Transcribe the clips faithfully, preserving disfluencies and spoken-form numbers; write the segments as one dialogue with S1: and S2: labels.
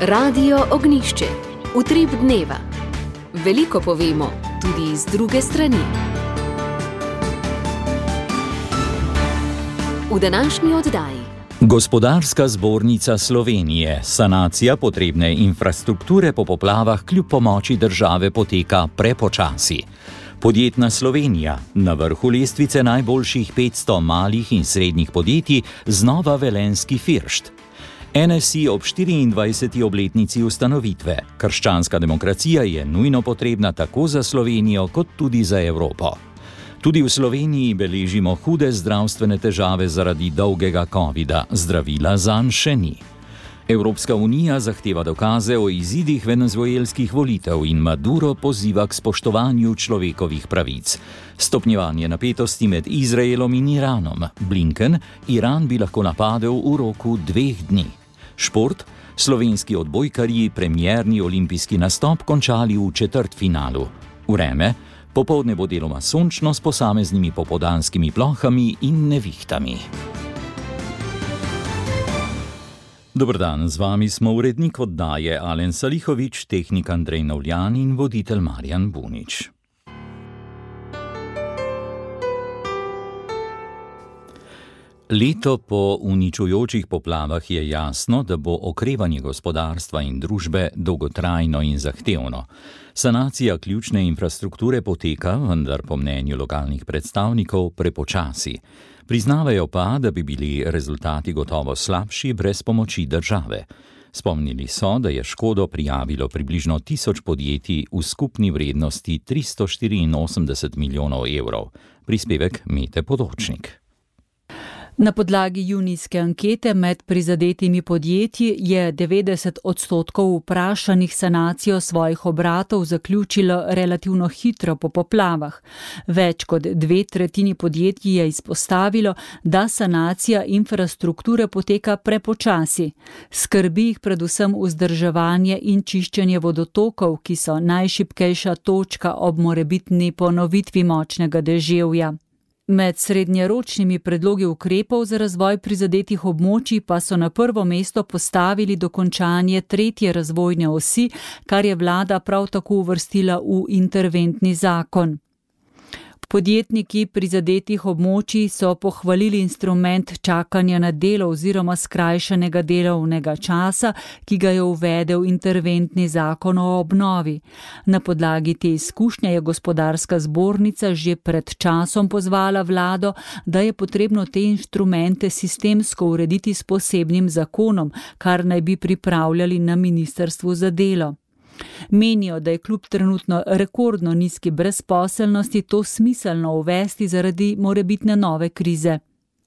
S1: Radio Ognjišče. Utrip dneva. Veliko povemo, tudi iz druge strani. V današnji oddaji.
S2: Gospodarska zbornica Slovenije. Sanacija potrebne infrastrukture po poplavah kljub pomoči države poteka prepočasi. Podjetna Slovenija. Na vrhu lestvice najboljših petsto malih in srednjih podjetij znova velenjski Firšt. N S I ob štiriindvajseti obletnici ustanovitve. Krščanska demokracija je nujno potrebna tako za Slovenijo kot tudi za Evropo. Tudi v Sloveniji beležimo hude zdravstvene težave zaradi dolgega covida, zdravila zanj še ni. Evropska unija zahteva dokaze o izidih venezuelskih volitev in Maduro poziva k spoštovanju človekovih pravic. Stopnjevanje napetosti med Izraelom in Iranom. Blinken, Iran bi lahko napadel v roku dveh dni. Šport, slovenski odbojkarji premierni olimpijski nastop končali v četrtfinalu. Vreme, popoldne bo deloma sončno s posameznimi popoldanskimi plohami in nevihtami. Dober dan, z vami smo urednik oddaje Alen Salihovič, tehnik Andrej Navljan in voditelj Marjan Bunič. Leto po uničujočih poplavah je jasno, da bo okrevanje gospodarstva in družbe dolgotrajno in zahtevno. Sanacija ključne infrastrukture poteka, vendar po mnenju lokalnih predstavnikov prepočasi. Priznavajo pa, da bi bili rezultati gotovo slabši brez pomoči države. Spomnili so, da je škodo prijavilo približno tisoč podjetij v skupni vrednosti tristo štiriinosemdeset milijonov evrov. Prispevek Mete Podočnik.
S3: Na podlagi junijske ankete med prizadetimi podjetji je devetdeset odstotkov vprašanih sanacijo svojih obratov zaključilo relativno hitro po poplavah. Več kot dve tretjini podjetij je izpostavilo, da sanacija infrastrukture poteka prepočasi. Skrbi jih predvsem vzdrževanje in čiščenje vodotokov, ki so najšibkejša točka ob morebitni ponovitvi močnega deževja. Med srednjeročnimi predlogi ukrepov za razvoj prizadetih območij pa so na prvo mesto postavili dokončanje tretje razvojne osi, kar je vlada prav tako uvrstila v interventni zakon. Podjetniki prizadetih območij so pohvalili instrument čakanja na delo oziroma skrajšanega delovnega časa, ki ga je uvedel interventni zakon o obnovi. Na podlagi te izkušnje je gospodarska zbornica že pred časom pozvala vlado, da je potrebno te inštrumente sistemsko urediti s posebnim zakonom, kar naj bi pripravljali na ministrstvu za delo. Menijo, da je kljub trenutno rekordno nizki brezposelnosti to smiselno uvesti zaradi morebitne nove krize.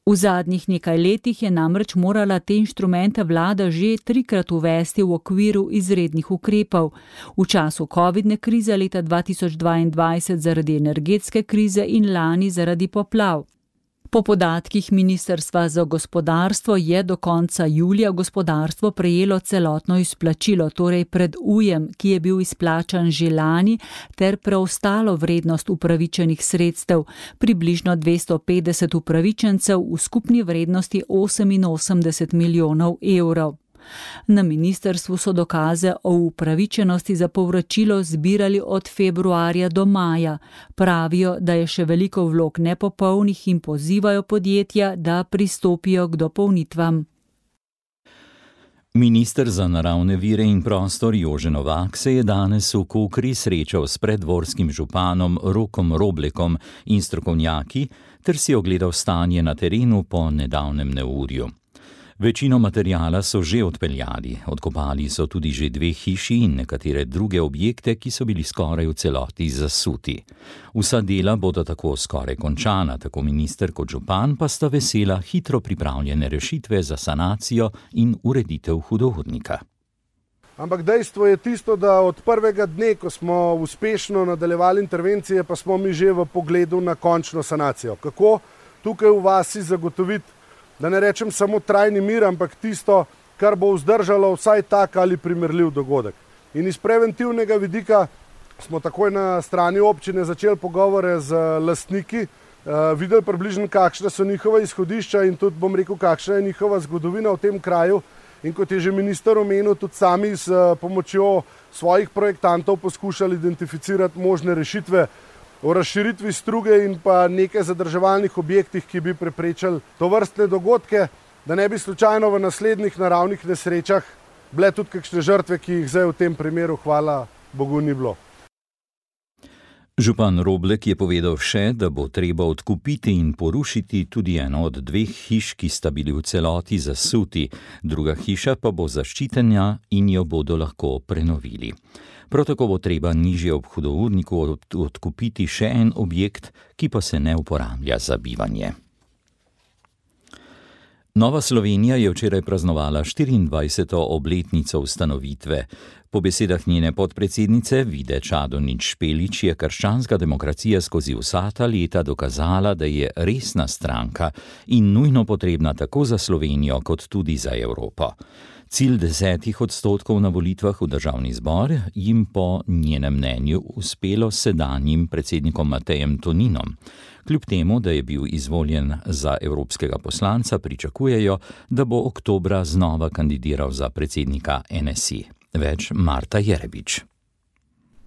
S3: V zadnjih nekaj letih je namreč morala te inštrumente vlada že trikrat uvesti v okviru izrednih ukrepov. V času covidne krize leta dva tisoč dvaindvajset zaradi energetske krize in lani zaradi poplav. Po podatkih Ministrstva za gospodarstvo je do konca julija gospodarstvo prejelo celotno izplačilo, torej pred ujem, ki je bil izplačan že lani, ter preostalo vrednost upravičenih sredstev, približno dvesto petdeset upravičencev v skupni vrednosti oseminosemdeset milijonov evrov. Na ministrstvu so dokaze o upravičenosti za povračilo zbirali od februarja do maja. Pravijo, da je še veliko vlog nepopolnih in pozivajo podjetja, da pristopijo k dopolnitvam.
S2: Minister za naravne vire in prostor Jože Novak se je danes v Kokri srečal s preddvorskim županom Rokom Roblekom in strokovnjaki ter si ogledal stanje na terenu po nedavnem neurju. Večino materijala so že odpeljali, odkopali so tudi že dve hiši in nekatere druge objekte, ki so bili skoraj v celoti zasuti. Vsa dela bodo tako skoraj končana, tako minister kot župan pa sta vesela hitro pripravljene rešitve za sanacijo in ureditev hudournika.
S4: Ampak dejstvo je tisto, da od prvega dne, ko smo uspešno nadaljevali intervencije, pa smo mi že v pogledu na končno sanacijo. Kako tukaj v vasi zagotoviti, da ne rečem samo trajni mir, ampak tisto, kar bo vzdržalo vsaj tak ali primerljiv dogodek. In iz preventivnega vidika smo takoj na strani občine začeli pogovore z lastniki, uh, videli približno, kakšne so njihova izhodišča in tudi bom rekel, kakšna je njihova zgodovina v tem kraju. in kot je že minister omenil, tudi sami s pomočjo svojih projektantov poskušali identificirati možne rešitve o razširitvi struge in pa nekaj zadrževalnih objektih, ki bi preprečili tovrstne dogodke, da ne bi slučajno v naslednjih naravnih nesrečah bile tudi kakšne žrtve, ki jih zdaj v tem primeru, hvala Bogu, ni bilo.
S2: Župan Roblek je povedal še, da bo treba odkupiti in porušiti tudi eno od dveh hiš, ki sta bili v celoti zasuti, druga hiša pa bo zaščitena in jo bodo lahko prenovili. Prav tako bo treba nižje ob hudourniku odkupiti še en objekt, ki pa se ne uporablja za bivanje. Nova Slovenija je včeraj praznovala štiriindvajseto obletnico ustanovitve. Po besedah njene podpredsednice Vide Čadonič Špelič je krščanska demokracija skozi vsa ta leta dokazala, da je resna stranka in nujno potrebna tako za Slovenijo kot tudi za Evropo. Cilj desetih odstotkov na volitvah v državni zbor jim po njenem mnenju uspelo sedanjim predsednikom Matejem Toninom. Kljub temu, da je bil izvoljen za evropskega poslanca, pričakujejo, da bo oktobra znova kandidiral za predsednika N S I. Več Marta Jerebič.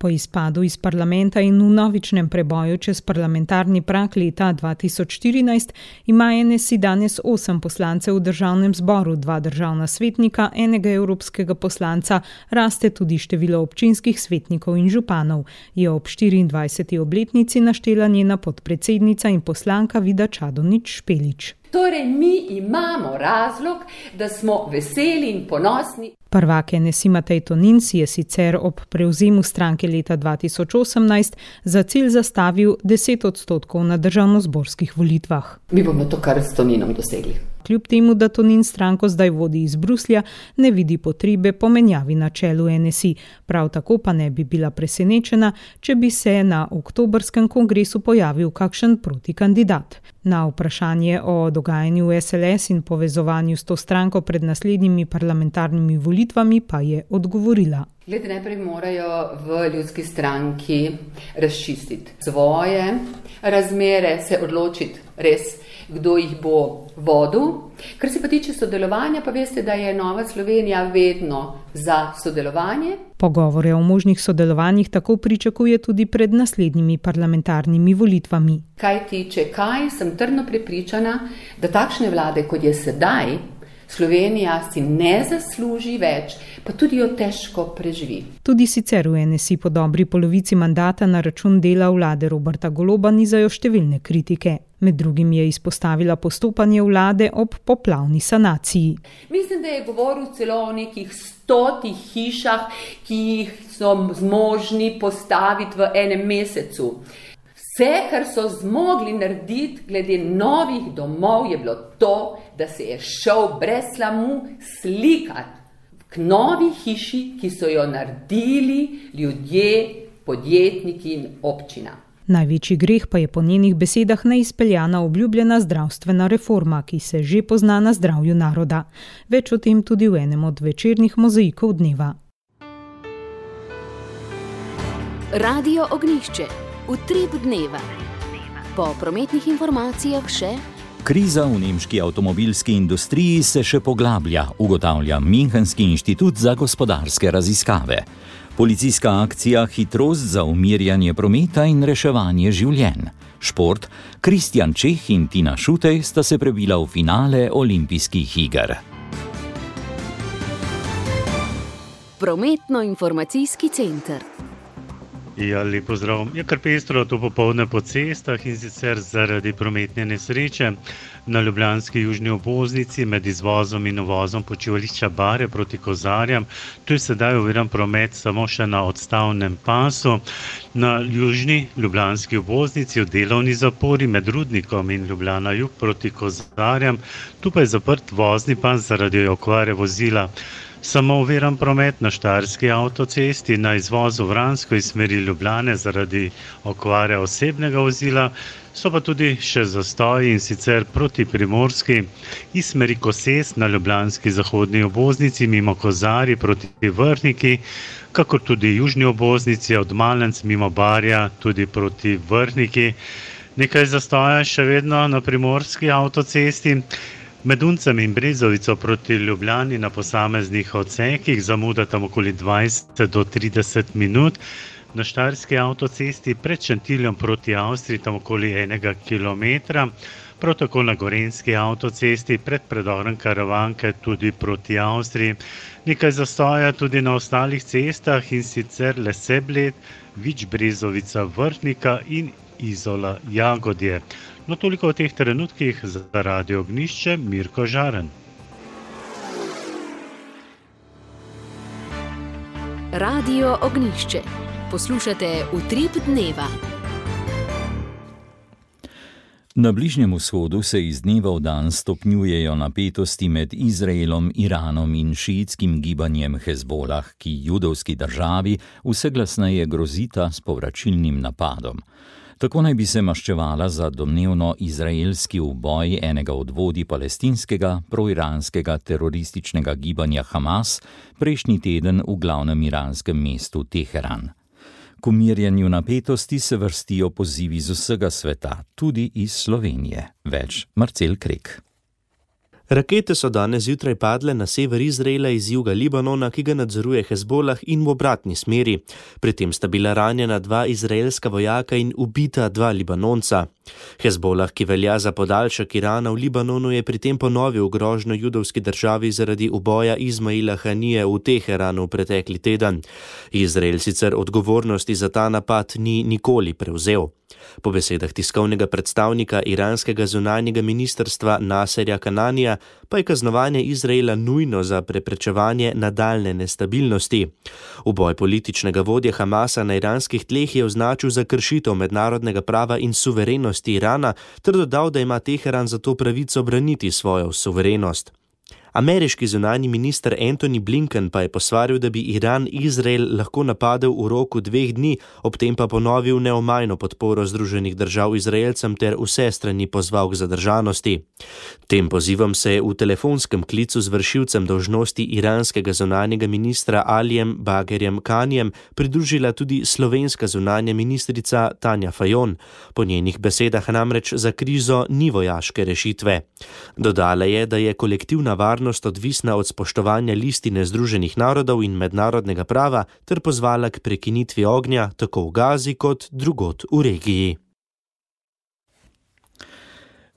S5: Po izpadu iz parlamenta in vnovičnem preboju čez parlamentarni prag leta dva tisoč štirinajst ima N S I danes osem poslancev v državnem zboru, dva državna svetnika, enega evropskega poslanca, raste tudi število občinskih svetnikov in županov, je ob štiriindvajseti obletnici naštela njena podpredsednica in poslanka Vida Čadonič Špelič.
S6: Torej, mi imamo razlog, da smo veseli in ponosni.
S5: Prvak N S I Matej Tonin si je sicer ob prevzemu stranke leta dva tisoč osemnajst za cilj zastavil deset odstotkov na državnozborskih volitvah.
S6: Mi bomo to kar s Toninom dosegli.
S5: Kljub temu, da Tonin stranko zdaj vodi iz Bruslja, ne vidi potrebe po menjavi na čelu N S I. Prav tako pa ne bi bila presenečena, če bi se na oktobrskem kongresu pojavil kakšen protikandidat. Na vprašanje o dogajanju v S L S in povezovanju s to stranko pred naslednjimi parlamentarnimi volitvami pa je odgovorila.
S6: Glede, najprej morajo v ljudski stranki razčistiti svoje razmere, se odločiti res, kdo jih bo vodil. Kar se pa tiče sodelovanja, pa veste, da je Nova Slovenija vedno za sodelovanje.
S5: Pogovore o možnih sodelovanjih tako pričakuje tudi pred naslednjimi parlamentarnimi volitvami.
S6: Kaj tiče kaj, sem trdno prepričana, da takšne vlade, kot je sedaj, Slovenija si ne zasluži več, pa tudi jo težko preživi.
S5: Tudi sicer v N S I po dobri polovici mandata na račun dela vlade Roberta Goloba nizajo številne kritike. Med drugim je izpostavila postopanje vlade ob poplavni sanaciji.
S6: Mislim, da je govoril celo o nekih stotih hišah, ki jih so zmožni postaviti v enem mesecu. Vse, kar so zmogli narediti glede novih domov, je bilo to, da se je šel brez slamu slikati k novi hiši, ki so jo naredili ljudje, podjetniki in občina.
S5: Največji greh pa je po njenih besedah neizpeljana obljubljena zdravstvena reforma, ki se že pozna na zdravju naroda. Več o tem tudi v enem od večernih mozaikov dneva.
S1: Radio Ognjišče. Utrip dneva. Po prometnih informacijah še...
S2: Kriza v nemški avtomobilski industriji se še poglablja, ugotavlja Münchenski inštitut za gospodarske raziskave. Policijska akcija Hitrost za umirjanje prometa in reševanje življenj. Šport, Kristjan Čeh in Tina Šutej sta se prebila v finale olimpijskih iger.
S1: Prometno-informacijski center.
S7: Ja, lep pozdrav. Je kar pestro to popoldne po cestah in sicer zaradi prometne nesreče na ljubljanski južni obvoznici med izvozom in uvozom počivališča Bare proti Kozarjam. Tu je sedaj oviran promet samo še na odstavnem pasu. Na južni ljubljanski obvoznici v delovni zapori med Rudnikom in Ljubljana jug proti Kozarjam. Tu pa je zaprt vozni pas zaradi okvare vozila. Samo oviran promet na Štajerski avtocesti na izvozu Vransko iz smeri Ljubljane zaradi okvare osebnega vozila, so pa tudi še zastoji in sicer proti Primorski iz smeri Koses na ljubljanski zahodni obvoznici mimo Kozarji proti Vrhniki, kakor tudi južni obvoznici od Malenc mimo Barja tudi proti Vrhniki. Nekaj zastoja še vedno na Primorski avtocesti. Med Uncem in Brezovico proti Ljubljani na posameznih odsekih zamuda tam okoli dvajset do trideset minut. Na štajerski avtocesti pred Šentiljem proti Avstriji tam okoli enega kilometra. Prav tako na gorenjski avtocesti pred predorom Karavanke tudi proti Avstriji. Nekaj zastoja tudi na ostalih cestah, in sicer Lesebled, Vič Brezovica, Vrhnika in Izola Jagodje. No, toliko o teh trenutkih. Za Radio Ognjišče Mirko Žaren.
S1: Radio Ognjišče. Poslušate Utrip dneva.
S2: Na Bližnjem vzhodu se iz dneva v dan stopnjujejo napetosti med Izraelom, Iranom in šiitskim gibanjem Hezbolah, ki judovski državi vse glasneje grozita s povračilnim napadom. Tako naj bi se maščevala za domnevno izraelski uboj enega od vodij palestinskega proiranskega terorističnega gibanja Hamas prejšnji teden v glavnem iranskem mestu Teheran. K umirjanju napetosti se vrstijo pozivi z vsega sveta, tudi iz Slovenije. Več Marcel Krek.
S8: Rakete so danes zjutraj padle na sever Izraela iz juga Libanona, ki ga nadzoruje Hezbolah, in v obratni smeri. Pri tem sta bila ranjena dva izraelska vojaka in ubita dva Libanonca. Hezbolah, ki velja za podaljšek Irana v Libanonu, je pri tem ponovil grožnjo judovski državi zaradi uboja Izmaila Hanije v Teheranu pretekli teden. Izrael sicer odgovornosti za ta napad ni nikoli prevzel. Po besedah tiskovnega predstavnika iranskega zunanjega ministrstva Naserja Kananija pa je kaznovanje Izraela nujno za preprečevanje nadaljne nestabilnosti. Uboj političnega vodje Hamasa na iranskih tleh je označil za kršitev mednarodnega prava in suverenosti Irana ter dodal, da ima Teheran zato pravico braniti svojo suverenost. Ameriški zunanji minister Antony Blinken pa je posvaril, da bi Iran Izrael lahko napadel v roku dveh dni, ob tem pa ponovil neomajno podporo Združenih držav Izraelcem ter vse strani pozval k zadržanosti. Tem pozivom se je v telefonskem klicu z vršilcem dolžnosti iranskega zunanjega ministra Alijem Bagerjem Kanijem pridružila tudi slovenska zunanja ministrica Tanja Fajon. Po njenih besedah namreč za krizo ni vojaške rešitve. Dodala je, da je kolektivna varnost odvisna od spoštovanja listine Združenih narodov in mednarodnega prava ter pozvala k prekinitvi ognja tako v Gazi kot drugod v regiji.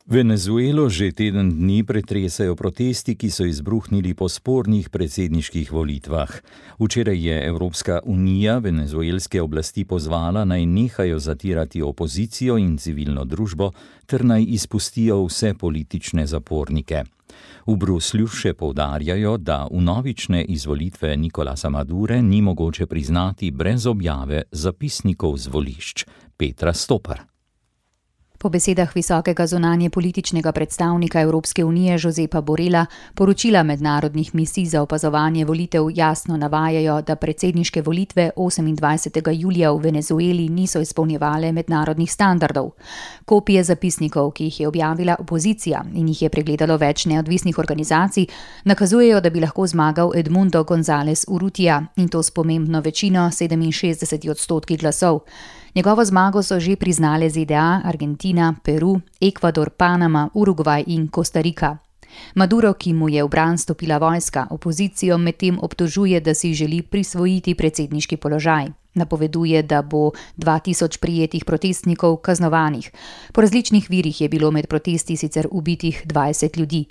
S2: Venezuelo že teden dni pretresajo protesti, ki so izbruhnili po spornih predsedniških volitvah. Včeraj je Evropska unija venezuelske oblasti pozvala, naj nehajo zatirati opozicijo in civilno družbo ter naj izpustijo vse politične zapornike. V Bruslju še poudarjajo, da vnovične izvolitve Nicolasa Madure ni mogoče priznati brez objave zapisnikov z volišč. Petra Stopar.
S9: Po besedah visokega zunanje političnega predstavnika Evropske unije Josepa Borela, poročila mednarodnih misij za opazovanje volitev jasno navajajo, da predsedniške volitve osemindvajsetega julija v Venezueli niso izpolnjevale mednarodnih standardov. Kopije zapisnikov, ki jih je objavila opozicija in jih je pregledalo več neodvisnih organizacij, nakazujejo, da bi lahko zmagal Edmundo González Urrutia, in to s pomembno večino sedeminšestdeset odstotkov glasov. Njegovo zmago so že priznale Z D A, Argentina, Peru, Ekvador, Panama, Urugvaj in Kostarika. Maduro, ki mu je v bran stopila vojska, opozicijo medtem obtožuje, da si želi prisvojiti predsedniški položaj. Napoveduje, da bo dva tisoč prijetih protestnikov kaznovanih. Po različnih virih je bilo med protesti sicer ubitih dvajset ljudi.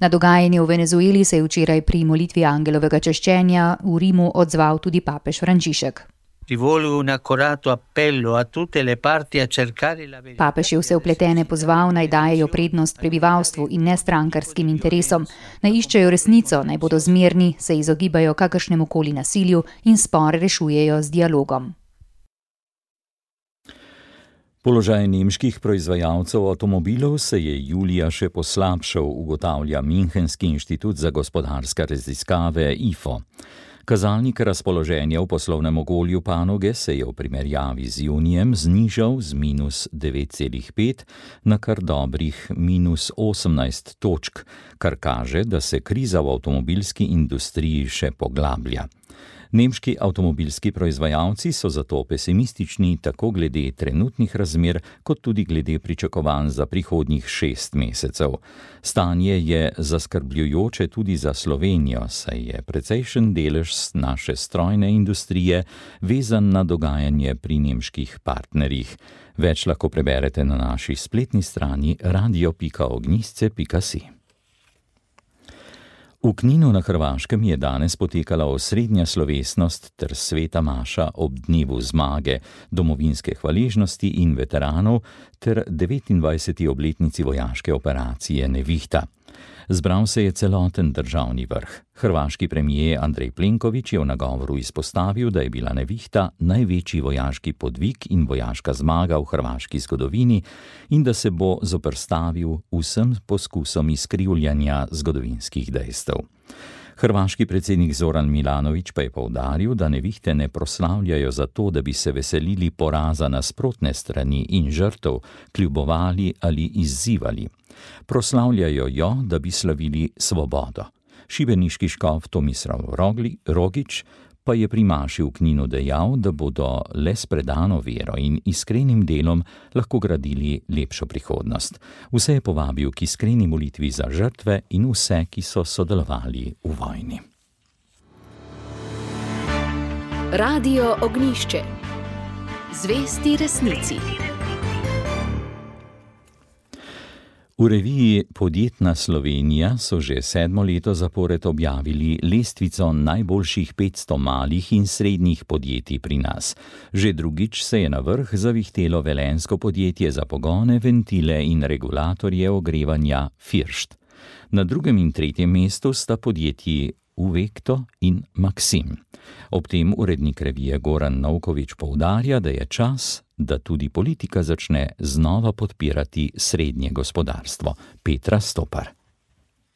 S9: Na dogajanje v Venezueli se je včeraj pri molitvi angelovega češčenja v Rimu odzval tudi papež Frančišek. Papež je vse vpletene pozval, naj dajejo prednost prebivalstvu in ne strankarskim interesom, naj iščejo resnico, naj bodo zmerni, se izogibajo kakršnemu koli nasilju in spore rešujejo z dialogom.
S2: Položaj nemških proizvajalcev avtomobilov se je julija še poslabšal, ugotavlja Münchenski inštitut za gospodarske raziskave I F O. Kazalnik razpoloženja v poslovnem okolju panoge se je v primerjavi z junijem znižal z minus devet celih pet na kar dobrih minus osemnajst točk, kar kaže, da se kriza v avtomobilski industriji še poglablja. Nemški avtomobilski proizvajalci so zato pesimistični tako glede trenutnih razmer, kot tudi glede pričakovanj za prihodnjih šest mesecev. Stanje je zaskrbljujoče tudi za Slovenijo, saj je precejšen delež naše strojne industrije vezan na dogajanje pri nemških partnerjih. Več lahko preberete na naši spletni strani radio pika ognjišče pika si. V Kninu na Hrvaškem je danes potekala osrednja slovesnost ter sveta maša ob dnevu zmage, domovinske hvaležnosti in veteranov ter devetindvajseti obletnici vojaške operacije Nevihta. Zbral se je celoten državni vrh. Hrvaški premijer Andrej Plenković je v nagovoru izpostavil, da je bila Nevihta največji vojaški podvig in vojaška zmaga v hrvaški zgodovini in da se bo zoperstavil vsem poskusom izkrivljanja zgodovinskih dejstev. Hrvaški predsednik Zoran Milanović pa je poudaril, da Nevihte ne proslavljajo zato, da bi se veselili poraza nasprotne strani in žrtev, kljubovali ali izzivali. Proslavljajo jo, da bi slavili svobodo. Šibeniški škof Tomislav Rogić pa je pri maši v Kninu dejal, da bodo le s predano vero in iskrenim delom lahko gradili lepšo prihodnost. Vse je povabil k iskreni molitvi za žrtve in vse, ki so sodelovali v vojni.
S1: Radio Ognjišče. Zvesti resnici.
S2: V reviji Podjetna Slovenija so že sedmo leto zapored objavili lestvico najboljših petsto malih in srednjih podjetij pri nas. Že drugič se je na vrh zavihtelo velenjsko podjetje za pogone, ventile in regulatorje ogrevanja First. Na drugem in tretjem mestu sta podjetji Uvekto in Maksim. Ob tem urednik revije Goran Novković poudarja, da je čas, da tudi politika začne znova podpirati srednje gospodarstvo. Petra Stopar.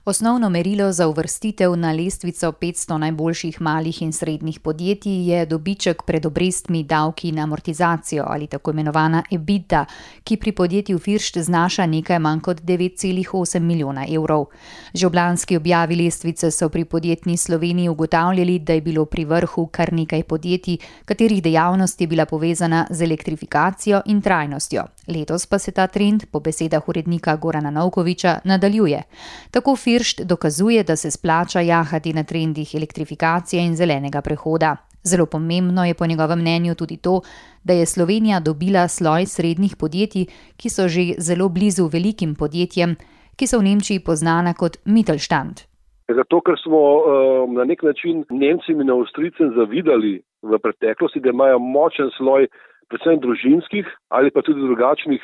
S9: Osnovno merilo za uvrstitev na lestvico petsto najboljših malih in srednjih podjetij je dobiček pred obrestmi, davki in amortizacijo ali tako imenovana EBITDA, ki pri podjetju First znaša nekaj manj kot devet celih osem milijona evrov. Že ob lanski objavi lestvice so pri Podjetni Sloveniji ugotavljali, da je bilo pri vrhu kar nekaj podjetij, katerih dejavnost je bila povezana z elektrifikacijo in trajnostjo. Letos pa se ta trend, po besedah urednika Gorana Novkovića, nadaljuje. Tako First dokazuje, da se splača jahati na trendih elektrifikacije in zelenega prehoda. Zelo pomembno je po njegovem mnenju tudi to, da je Slovenija dobila sloj srednjih podjetij, ki so že zelo blizu velikim podjetjem, ki so v Nemčiji poznana kot Mittelstand.
S10: Zato, ker smo uh, na nek način Nemcem in Avstrijcem zavidali v preteklosti, da imajo močen sloj predvsem družinskih ali pa tudi drugačnih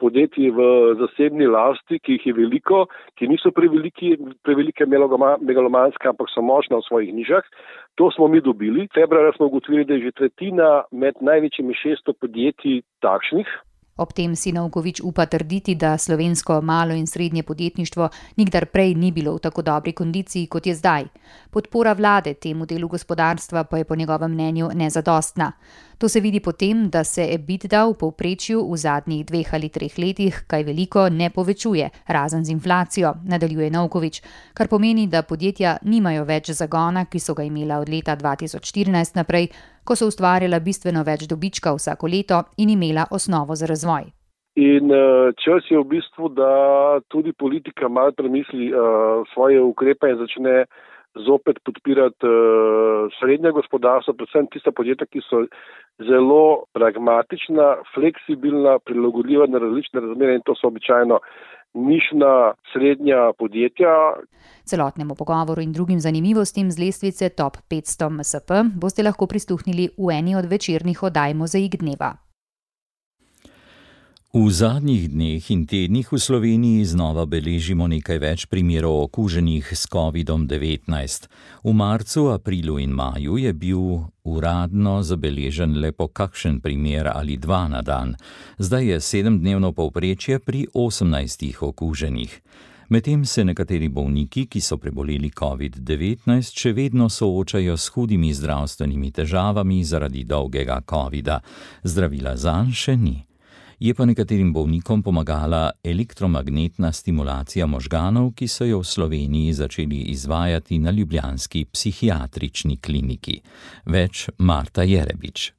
S10: podjetij v zasebni lasti, ki jih je veliko, ki niso preveliki, prevelike megalomanske, ampak so močne v svojih nižah. To smo mi dobili. Februarja smo ugotovili, da je že tretjina med največjimi šeststo podjetij takšnih.
S9: Ob tem si Novković upa trditi, da slovensko malo in srednje podjetništvo nikdar prej ni bilo v tako dobri kondiciji, kot je zdaj. Podpora vlade temu delu gospodarstva pa je po njegovem mnenju nezadostna. To se vidi po tem, da se EBITDA v povprečju v zadnjih dveh ali treh letih kaj veliko ne povečuje, razen z inflacijo, nadaljuje Novković, kar pomeni, da podjetja nimajo več zagona, ki so ga imela od leta dva tisoč štirinajst naprej, ko so ustvarjala bistveno več dobička vsako leto in imela osnovo za razvoj.
S10: In čas je v bistvu, da tudi politika malo premisli uh, svoje ukrepe in začne zopet podpirati uh, srednje gospodarstvo, predvsem tista podjetja, ki so zelo pragmatična, fleksibilna, prilagodljiva na različne razmere in to so običajno nišna srednja podjetja.
S9: Celotnemu pogovoru in drugim zanimivostim z lestvice Top petsto M S P boste lahko prisluhnili v eni od večernih oddaj Mozaik dneva.
S2: V zadnjih dneh in tednih v Sloveniji znova beležimo nekaj več primerov okuženih s kovidom devetnajst. V marcu, aprilu in maju je bil uradno zabeležen le po kakšen primer ali dva na dan. Zdaj je sedemdnevno povprečje pri osemnajstih okuženih. Medtem se nekateri bolniki, ki so preboleli covid devetnajst, še vedno soočajo s hudimi zdravstvenimi težavami zaradi dolgega covida. Zdravila zanj še ni. Je pa nekaterim bolnikom pomagala elektromagnetna stimulacija možganov, ki so jo v Sloveniji začeli izvajati na ljubljanski psihiatrični kliniki. Več Marta Jerebič.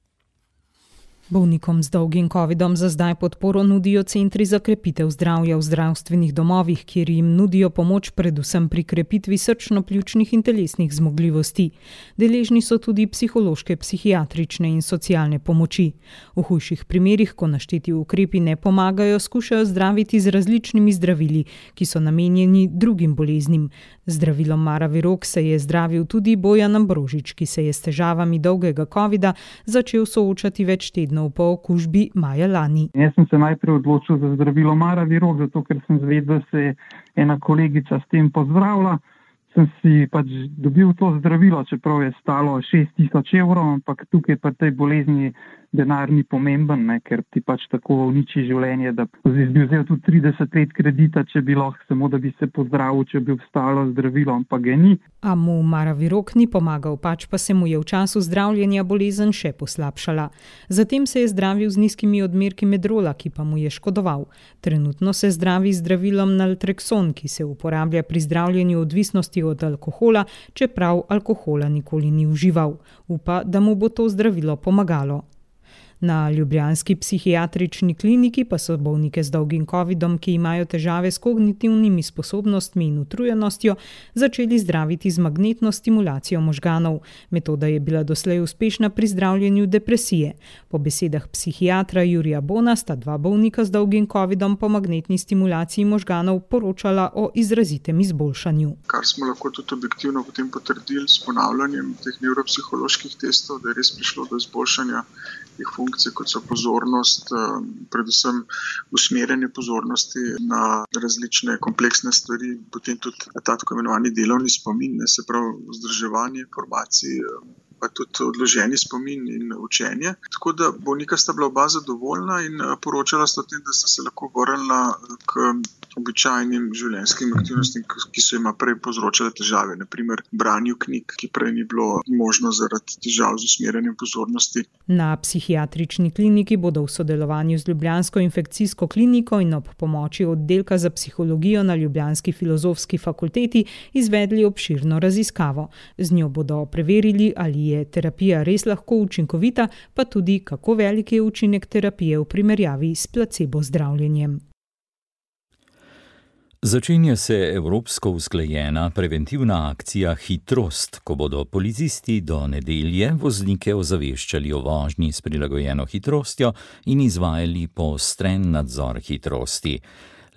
S5: Bolnikom z dolgim covidom za zdaj podporo nudijo centri za krepitev zdravja v zdravstvenih domovih, kjer jim nudijo pomoč predvsem pri krepitvi srčno-pljučnih in telesnih zmogljivosti. Deležni so tudi psihološke, psihiatrične in socialne pomoči. V hujših primerih, ko našteti ukrepi ne pomagajo, skušajo zdraviti z različnimi zdravili, ki so namenjeni drugim boleznim. Zdravilom Maravirok se je zdravil tudi Bojan Ambrožič, ki se je s težavami dolgega covida začel soočati več tednov po okužbi maja lani.
S11: Jaz sem se najprej odločil za zdravilo Maravirok, zato ker sem zvedel, da se je ena kolegica s tem pozdravila. Sem si pač dobil to zdravilo, čeprav je stalo šest tisoč evrov, ampak tukaj pa tej bolezni denar ni pomemben, ne, ker ti pač tako uniči življenje, da bi vzel tudi trideset let kredita, če bi lahko samo, da bi se pozdravil, če bi obstalo zdravilo, ampak ga ni.
S5: A mu Maravirok ni pomagal, pač pa se mu je v času zdravljenja bolezen še poslabšala. Zatem se je zdravil z nizkimi odmerki medrola, ki pa mu je škodoval. Trenutno se zdravi z zdravilom naltrekson, ki se uporablja pri zdravljenju odvisnosti od alkohola, čeprav alkohola nikoli ni užival. Upa, da mu bo to zdravilo pomagalo. Na ljubljanski psihiatrični kliniki pa so bolnike z dolgim covidom, ki imajo težave s kognitivnimi sposobnostmi in utrujenostjo, začeli zdraviti z magnetno stimulacijo možganov. Metoda je bila doslej uspešna pri zdravljenju depresije. Po besedah psihiatra Jurija Bona sta dva bolnika z dolgim covidom po magnetni stimulaciji možganov poročala o izrazitem izboljšanju.
S12: Kar smo lahko tudi objektivno potem potrdili s ponavljanjem teh nevropsiholoških testov, da je res prišlo do izboljšanja teh funkcij, kot so pozornost, predvsem usmerjanje pozornosti na različne kompleksne stvari, potem tudi ta tako imenovani delovni spomin, ne, se pravi vzdrževanje informacij, pa tudi odloženi spomin in učenje. Tako da bolnika sta bila oba zadovoljna in poročala sta o tem, da sta se lahko vrnila k običajnim življenjskim aktivnostim, ki so jima prej povzročale težave, naprimer branju knjig, ki prej ni bilo možno zaradi težav z usmerjanjem pozornosti.
S5: Na psihiatrični kliniki bodo v sodelovanju z ljubljansko infekcijsko kliniko in ob pomoči oddelka za psihologijo na ljubljanski filozofski fakulteti izvedli obširno raziskavo. Z njo bodo preverili, ali je terapija res lahko učinkovita, pa tudi kako velik je učinek terapije v primerjavi s placebo zdravljenjem.
S2: Začenja se evropsko usklajena preventivna akcija Hitrost, ko bodo policisti do nedelje voznike ozaveščali o vožnji s prilagojeno hitrostjo in izvajali poostren nadzor hitrosti.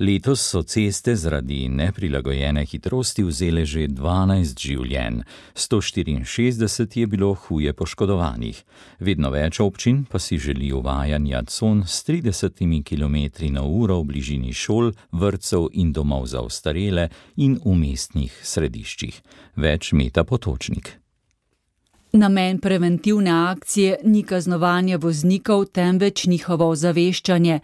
S2: Letos so ceste zaradi neprilagojene hitrosti vzele že dvanajst življenj, sto štiriinšestdeset je bilo huje poškodovanih. Vedno več občin pa si želi uvajanja con s tridesetimi kilometri na uro v bližini šol, vrtcev in domov za ostarele in v mestnih središčih. Več Meta Potočnik.
S3: Namen preventivne akcije ni kaznovanje voznikov, temveč njihovo ozaveščanje.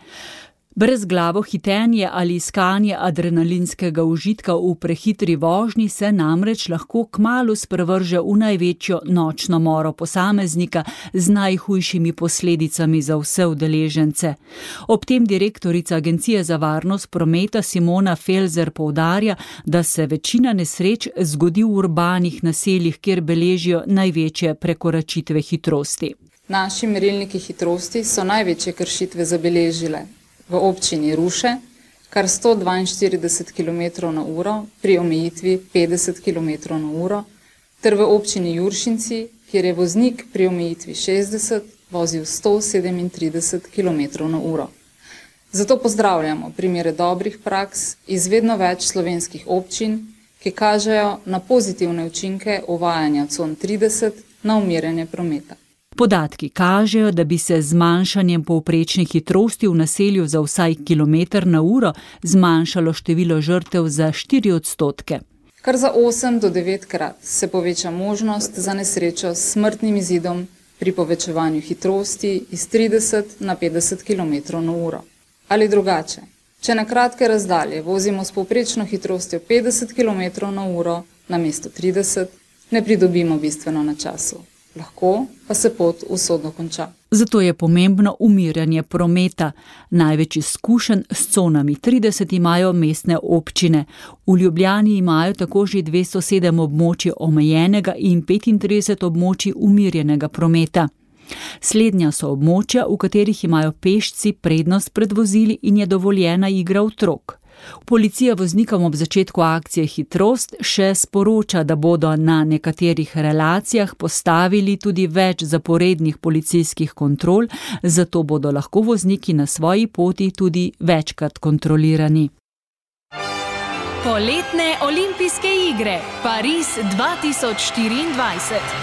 S3: Brezglavo hitenje ali iskanje adrenalinskega užitka v prehitri vožnji se namreč lahko kmalu sprevrže v največjo nočno moro posameznika z najhujšimi posledicami za vse udeležence. Ob tem direktorica Agencije za varnost prometa Simona Felzer poudarja, da se večina nesreč zgodi v urbanih naseljih, kjer beležijo največje prekoračitve hitrosti.
S13: Naši merilniki hitrosti so največje kršitve zabeležile v občini Ruše, kar sto dvainštirideset kilometrov na uro pri omejitvi petdeset kilometrov na uro, ter v občini Juršinci, kjer je voznik pri omejitvi šestdeset vozil sto sedemintrideset kilometrov na uro. Zato pozdravljamo primere dobrih praks iz vedno več slovenskih občin, ki kažejo na pozitivne učinke uvajanja con trideset na umirjanje prometa.
S3: Podatki kažejo, da bi se z zmanjšanjem povprečne hitrosti v naselju za vsaj kilometr na uro zmanjšalo število žrtev za štiri odstotke.
S13: Kar za osem do devet krat se poveča možnost za nesrečo s smrtnim izidom pri povečevanju hitrosti iz trideset na petdeset kilometrov na uro. Ali drugače, če na kratke razdalje vozimo s povprečno hitrostjo petdeset kilometrov na uro namesto trideset, ne pridobimo bistveno na času. Lahko pa se pot usodno konča.
S3: Zato je pomembno umirjanje prometa. Največ izkušenj s conami trideset imajo mestne občine. V Ljubljani imajo tako že dvesto sedem območij omejenega in petintrideset območij umirjenega prometa. Slednja so območja, v katerih imajo pešci prednost pred vozili in je dovoljena igra otrok. Policija voznikom ob začetku akcije Hitrost še sporoča, da bodo na nekaterih relacijah postavili tudi več zaporednih policijskih kontrol, zato bodo lahko vozniki na svoji poti tudi večkrat kontrolirani.
S1: Poletne olimpijske igre Pariz dva tisoč štiriindvajset.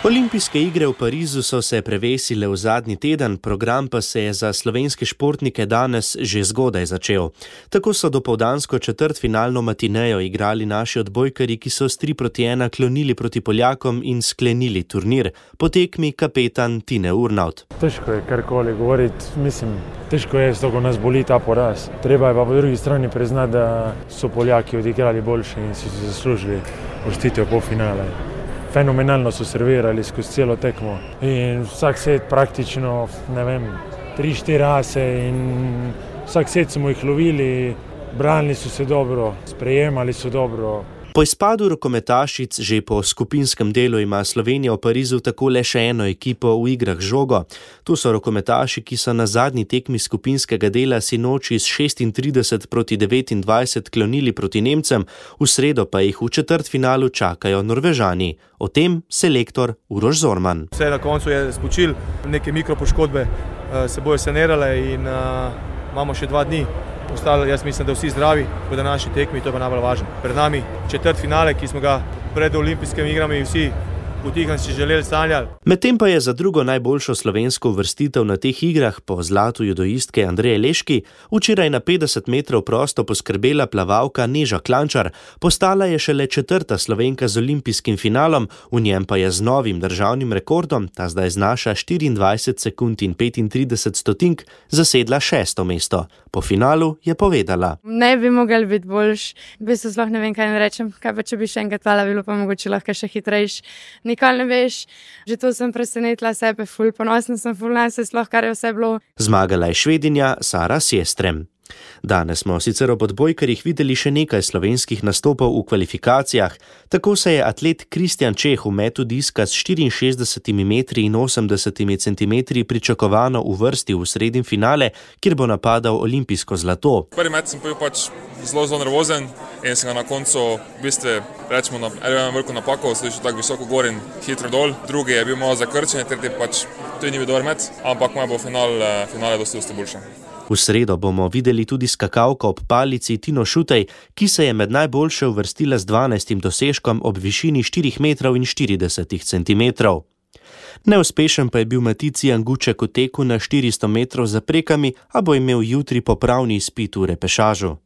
S8: Olimpijske igre v Parizu so se prevesile v zadnji teden, program pa se je za slovenske športnike danes že zgodaj začel. Tako so dopoldansko četrtfinalno matinejo igrali naši odbojkarji, ki so s tri proti ena klonili proti Poljakom in sklenili turnir. Po tekmi kapetan Tine Urnaut.
S14: Težko je karkoli govoriti, mislim, težko je, zato ko nas boli ta poraz. Treba je pa po drugi strani priznati, da so Poljaki odigrali boljše in so si zaslužili uvrstitev v polfinale. Fenomenalno so servirali skozi celo tekmo in vsak set praktično, ne vem, tri, štiri ase in vsak set smo jih lovili, branili so se dobro, sprejemali so dobro.
S8: Po izpadu rokometašic že po skupinskem delu ima Slovenija v Parizu tako le še eno ekipo v igrah z žogo. Tu so rokometaši, ki so na zadnji tekmi skupinskega dela sinoči s šestintrideset proti devetindvajset klonili proti Nemcem, v sredo pa jih v četrtfinalu čakajo Norvežani. O tem selektor Uroš Zorman.
S15: Vse na koncu je spočil, neke mikropoškodbe se bojo sanirale in uh, imamo še dva dni. Ostalo, jaz mislim, da vsi zdravi po današnji tekmi, to je pa najbolj važno. Pred nami četrtfinale, ki smo ga pred olimpijskimi igrami vsi potihem si želeli sanjali.
S8: Medtem pa je za drugo najboljšo slovensko uvrstitev na teh igrah po zlatu judoistke Andreje Leški včeraj na petdeset metrov prosto poskrbela plavalka Neža Klančar. Postala je šele četrta Slovenka z olimpijskim finalom, v njem pa je z novim državnim rekordom, ta zdaj znaša štiriindvajset sekund in petintrideset stotink, zasedla šesto mesto. Po finalu je povedala.
S16: Ne bi mogel biti boljš, v bistvu sploh ne vem, kaj ne rečem, kaj pa če bi še enkrat hvala bilo, pa mogoče lahko še hitrejš. Nikoli ne veš, že to sem presenetila sebe, ful ponosna sem, ful nase, sploh kar je vse bilo.
S8: Zmagala je Švedinja Sara Sjestrem. Danes smo sicer ob odbojkarjih videli še nekaj slovenskih nastopov v kvalifikacijah. Tako se je atlet Kristjan Čeh v metu diska s štiriinšestdesetimi metri in osemdesetimi centimetri pričakovano uvrstil v sredin finale, kjer bo napadal olimpijsko zlato.
S17: Prvi met sem bil pač zelo, zelo nervozen in sem ga na koncu, v bistvu, rečemo, na eno veliko napako, slišal tako visoko gor in hitro dol. Drugi je bil malo zakrčen, tretji pač to ni bil dober met, ampak moj bo final, finale dosti, dosti boljše.
S8: V sredo bomo videli tudi skakalko ob palici Tino Šutej, ki se je med najboljše uvrstila z dvanajstim dosežkom ob višini štirih metrov in štirideset centimetrov. Neuspešen pa je bil Matici Anguček v teku na štiristo metrov za prekami, a bo imel jutri popravni izpit v repešažu.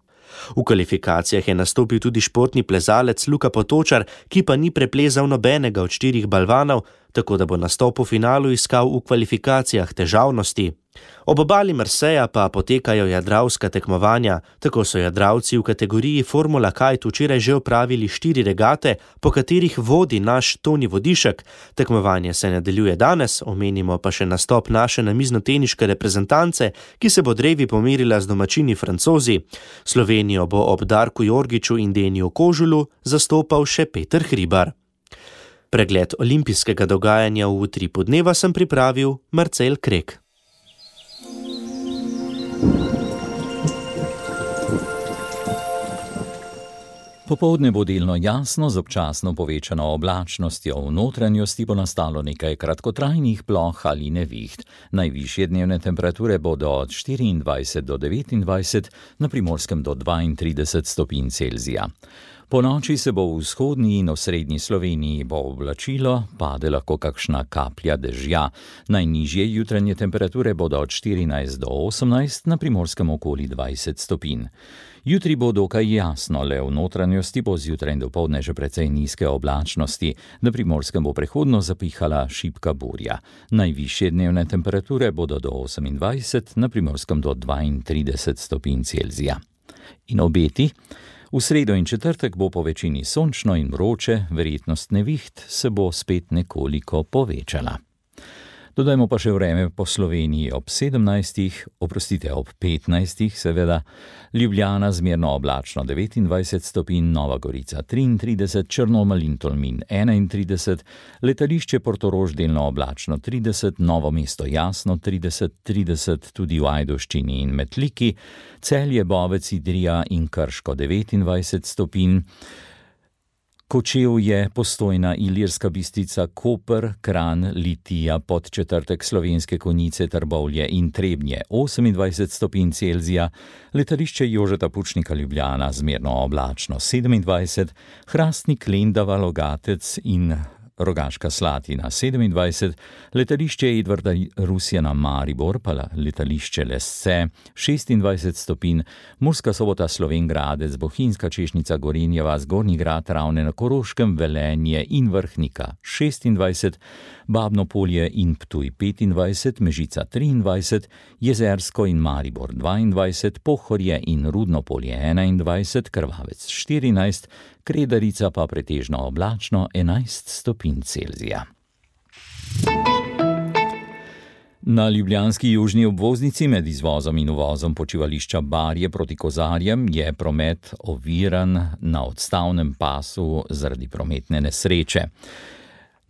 S8: V kvalifikacijah je nastopil tudi športni plezalec Luka Potočar, ki pa ni preplezal nobenega od štirih balvanov, tako da bo nastop v finalu iskal v kvalifikacijah težavnosti. Ob obali Marseja pa potekajo jadravska tekmovanja, tako so jadravci v kategoriji Formula Kite včeraj že opravili štiri regate, po katerih vodi naš Toni Vodišek. Tekmovanje se nadaljuje danes, omenimo pa še nastop naše namiznoteniške reprezentance, ki se bo drevi pomerila z domačini Francozi. Slovenijo bo ob Darku Jorgiču in Deniju Kožulu zastopal še Peter Hribar. Pregled olimpijskega dogajanja v utripu dneva sem pripravil Marcel Krek.
S2: Popoldne bo delno jasno z občasno povečano oblačnostjo, v notranjosti bo nastalo nekaj kratkotrajnih ploh ali neviht. Najvišje dnevne temperature bodo od štiriindvajset do devetindvajset, na Primorskem do dvaintrideset stopinj Celzija. Po noči se bo v vzhodni in osrednji Sloveniji bo oblačilo, pade lahko kakšna kaplja dežja. Najnižje jutranje temperature bodo od štirinajst do osemnajst, na Primorskem okoli dvajset stopinj. Jutri bo dokaj jasno, le v notranjosti bo zjutraj in dopoldne že precej nizke oblačnosti, na Primorskem bo prehodno zapihala šibka burja. Najvišje dnevne temperature bodo do osemindvajset, na Primorskem do dvaintrideset stopinj Celzija. In obeti? V sredo in četrtek bo po večini sončno in vroče, verjetnost neviht se bo spet nekoliko povečala. Dodajmo pa še vreme po Sloveniji ob sedemnajstih, oprostite, ob petnajstih seveda, Ljubljana zmerno oblačno devetindvajset stopinj, Nova Gorica triintrideset, Črnomelj in Tolmin enaintrideset, letališče Portorož delno oblačno trideset, Novo mesto jasno trideset, trideset tudi v Ajdovščini in Metliki, Celje, Bovec, Idrija in Krško devetindvajset stopinj, Kočevje, Postojna, Ilirska Bistrica, Koper, Kranj, Litija, Podčetrtek, Slovenske Konjice, Trbovlje in Trebnje osemindvajset stopinj Celzija, letališče Jožeta Pučnika Ljubljana zmerno oblačno sedemindvajset, Hrastnik, Lendava, Logatec in Rogaška Slatina sedemindvajset, letališče Edvarda Rusjana Maribor, pa letališče Lesce šestindvajset stopinj, Murska Sobota, Slovenj Gradec, Bohinjska Češnica, Gorenjeva, Zgornji Grad, Ravne na Koroškem, Velenje in Vrhnika šestindvajset, Babno Polje in Ptuj petindvajset, Mežica triindvajset, Jezersko in Maribor dvaindvajset, Pohorje in Rudno Polje enaindvajset, Krvavec štirinajst, Kredarica pa pretežno oblačno enajst stopinj Celzija. Na ljubljanski južni obvoznici med izvozom in uvozom počivališča Barje proti Kozarjem je promet oviran na odstavnem pasu zaradi prometne nesreče.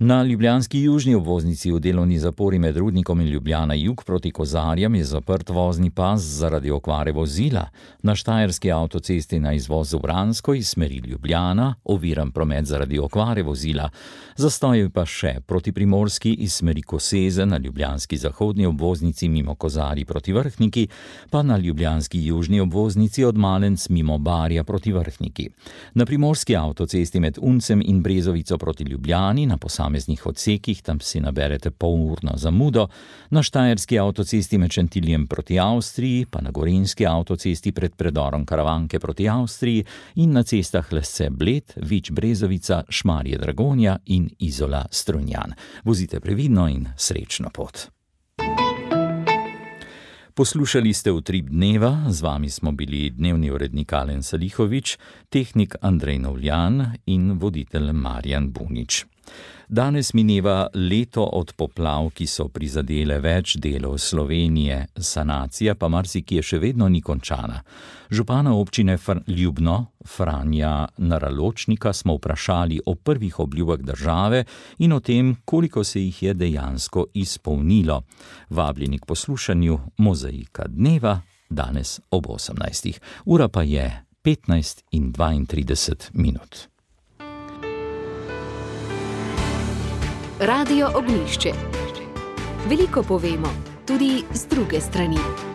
S2: Na ljubljanski južni obvoznici v delovni zapori med Rudnikom in Ljubljana jug proti Kozarjem je zaprt vozni pas zaradi okvare vozila. Na štajerski avtocesti na izvoz v Vransko iz smeri Ljubljana oviran promet zaradi okvare vozila. Zastoj pa še proti Primorski iz smeri Koseze na ljubljanski zahodni obvoznici mimo Kozarji proti Vrhniki, pa na ljubljanski južni obvoznici od Malenc mimo Barja proti Vrhniki. Na primorski avtocesti med Uncem in Brezovico proti Ljubljani na posameznih odsekih, tam si naberete polurno zamudo, na štajerski avtocesti med Šentiljem proti Avstriji, pa na gorenjski avtocesti pred predorom Karavanke proti Avstriji in na cestah Lesce Bled, Vič Brezovica, Šmarje Dragonja in Izola Strunjan. Vozite previdno in srečno pot. Poslušali ste Utrip dneva, z vami smo bili dnevni urednik Alen Salihovič, tehnik Andrej Novljan in voditelj Marjan Bunič. Danes mineva leto od poplav, ki so prizadele več delov Slovenije, sanacija pa marsikje še vedno ni končana. Župana občine Ljubno, Franja Naraločnika, smo vprašali o prvih obljubah države in o tem, koliko se jih je dejansko izpolnilo. Vabljeni k poslušanju Mozaika dneva, danes ob osemnajstih. Ura pa je petnajst in dvaintrideset minut.
S1: Radio Ognjišče. Veliko povemo, tudi z druge strani.